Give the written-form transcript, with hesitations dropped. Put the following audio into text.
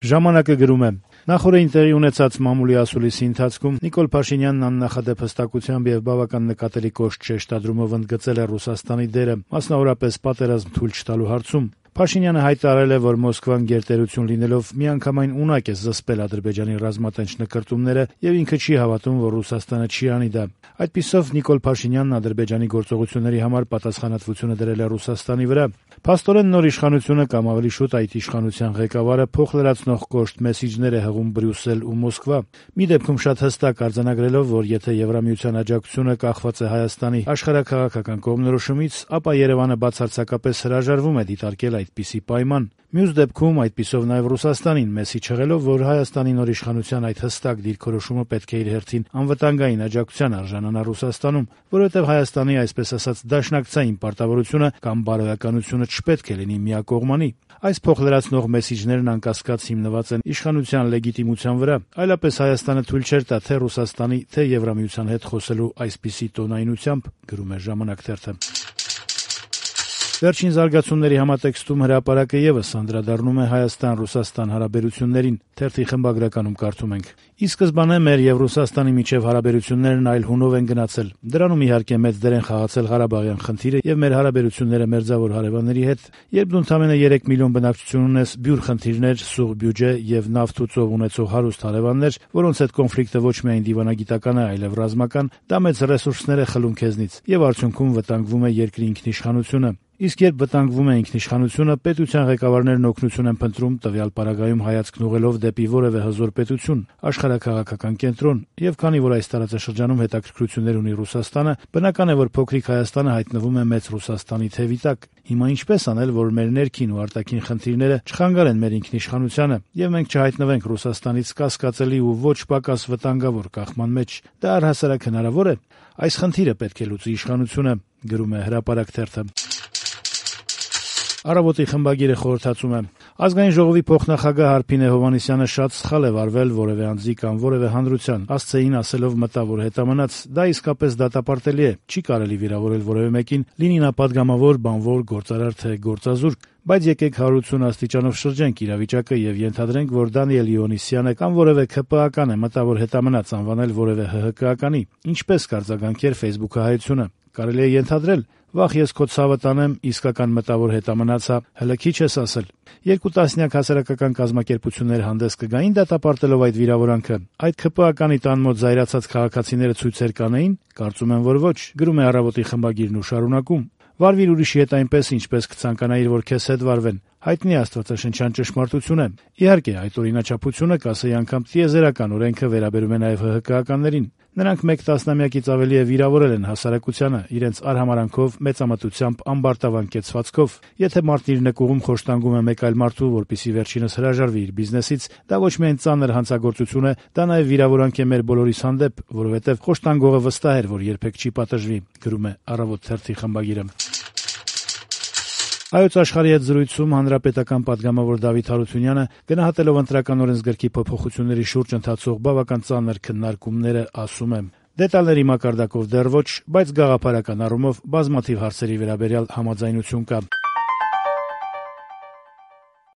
Ժամանակը գրում է. նախորդին տեղի ունեցած մամուլի ասուլիսի ընթացքում Նիկոլ Փաշինյանն աննախադեպ հստակությամբ եւ բավական նկատելի կոշտ շեշտադրումով ընդգծել է Ռուսաստանի դերը, մասնավորապես պատերազմ թույլ չտալու հարցում։ Փաշինյանը հայտարարել է, որ Մոսկվան գերտերություն լինելով միանգամայն ունակ է զսպել Ադրբեջանի ռազմատենչ նկրտումները եւ ինքը չի հավատում, որ Ռուսաստանը չի անի դա։ Այդպիսով Նիկոլ Փաշինյանն Ադրբեջանի գործողությունների համար պատասխանատվությունը դրել է Ռուսաստանի վրա։ Փաստորեն նոր իշխանությունը կամ ավելի շուտ այդ իշխանության ղեկավարը փոխլրացնող կոշտ մեսիջներ է հղում Բրյուսել ու Մոսկվա։ Մի դեպքում շատ հստակ արձանագրելով, որ եթե Եվրամիության աջակցությունը կախված է Հայաստանի աշխարհաքաղաքական կողմնորոշումից, ապա Երևանը բացարձակապես հրաժարվում է դիտարկել այդպիսի պայման։ Մյուս դեպքում այդպիսով նաև Ռուսաստանին մեսիջ հղելով, որ Հայաստանի նոր իշխանության այդ հստակ դիրքորոշումը պետք է իր հերթին անվտանգային աջակցության արժանանա Ռուսաստանում, որովհետև Հայաստանի այսպես ասած դաշնակցային պարտավորությունը կամ բարոյականությունը չպետք է լինի միակողմանի։ Այս փոխլրացնող մեսիջներն անկասկած հիմնված են իշխանության լեգիտիմության վրա, այլապես Հայաստանը թույլ չէր տա թե Ռուսաստանի, թե Եվրամիության հետ խոսելու այսպիսի տոնայնությամբ, գրում է «Ժամանակ» թերթը։ Վերջին զարգացումների համատեքստում հրապարակը եւս անդրադառնում է Հայաստան-Ռուսաստան հարաբերություններին։ Թերթի խմբագրականում կարդում ենք. «Ի սկզբանե մեր եւ Ռուսաստանի միջև հարաբերություններն այլ հունով են գնացել։ Դրանում իհարկե մեծ դեր են խաղացել Ղարաբաղյան խնդիրը եւ մեր հարաբերությունները մերձավոր հարևանների հետ։ Երբ դու ընդամենը 3 միլիոն բնակչություն ունես, բյուր խնդիրներ, սուղ բյուջե եւ նավթ ու ծով ունեցող հարուստ հարևաններ, որոնց հետ կոնֆլիկտը ոչ միայն դիվանագիտական է, այլև ռազմական, դա մեծ ռեսուրսներ է խլում քեզնից եւ արդյունքում վտանգվում է երկրի ինքնիշխանությունը։ Իսկ երբ վտանգվում է ինքնիշխանությունը, պետության ղեկավարներն օգնություն են փնտրում տվյալ պարագայում հայացքն ուղղելով դեպի որևէ հզոր պետություն, աշխարհաքաղաքական կենտրոն, եւ քանի որ այս տարածաշրջանում հետաքրքրություններ ունի Ռուսաստանը, բնական է, որ փոքրիկ Հայաստանը հայտնվում է մեծ Ռուսաստանի թևի տակ։ Հիմա ինչպես անել, որ մեր ներքին ու արտաքին խնդիրները չխանգարեն մեր ինքնիշխանությանը, եւ մենք չհայտնվենք Ռուսաստանից կասկածելի ու ոչ պակաս վտանգավոր կախման մեջ։ Դա առհասարակ հնարավոր է։ Այս խնդիրը պետք է լուծի իշխանությունը», գրում է «Հրապարակ» թերթը։ Առավոտի խմբագիրը խորհրդածում է. Ազգային ժողովի փոխնախագահ Հարփինե Հովհաննիսյանը շատ սխալ է վարվել որևէ անձի կամ որևէ հանրության, ասցեին ասելով մտավոր հետամնաց, դա իսկապես դատապարտելի է, չի կարելի վիրավորել որևէ մեկին, լինի նա падգամավոր, բանվոր, գործարար թե գործազուրկ, բայց եկեք 180 աստիճանով շրջենք իրավիճակը եւ ենթադրենք, որ Դանիել Իոնիսյանը կամ որևէ ՔՊԱ-ական է մտավոր հետամնաց անվանել որևէ ՀՀԿ-ականի, ինչպես կարձագանքեր Facebook-հայությունը։ Կարելի է ենթադրել, վաղ ես քո ցավը տանեմ, իսկական մտավոր հետամնացա, հələ քիչ ես ասել։ 2 տասնյակ հասարակական կազմակերպություններ հանդես կգային դատապարտելով այդ վիրավորանքը։ Այդ ՔՊԱ-ականի տան մոտ զայրացած քաղաքացիները ցույցեր կանեին, կարծում եմ, որ ոչ, գրում է Առավոտի խմբագիրն ու շարունակում. Վարվիր ուրիշի հետ այնպես, ինչպես կցանկանայիր, որ քեզ հետ վարվեն։ Հայտնի աստվածաշնչյան ճշմարտություն է։ Իհարկե, այդ օրինաչափությունը կասեի անգամ տիեզերական օրենքը վերաբերում է նաև ՀՀԿ-ականներին։ Նրանք 1 տասնամյակից ավելի է վիրավորել են հասարակությանը իրենց արհամարանքով, մեծամտությամբ, ամբարտավան կեցվածքով։ Եթե մարդն իր նկուղում խոշտանգում է մեկ այլ մարդու, որպեսզի վերջինս հրաժարվի իր բիզնեսից, դա ոչ միայն ծանր հանցագործություն է, դա նաև վիրավորանք է մեր բոլորիս հանդեպ, որովհետև խոշտանգողը վստահ էր, որ երբեք չի պատժվի, գրում է Առավոտ թերթի խմբագիրը։ Հայոց աշխարհի հետ զրույցում հանրապետական պատգամավոր Դավիթ Հարությունյանը գնահատելով ընտրական օրենսգրքի փոփոխությունների շուրջ ընթացող բավական ծանր քննարկումները ասում է. Դետալների մակարդակով դեռ ոչ, բայց գաղափարական առումով բազմաթիվ հարցերի վերաբերյալ համաձայնություն կա։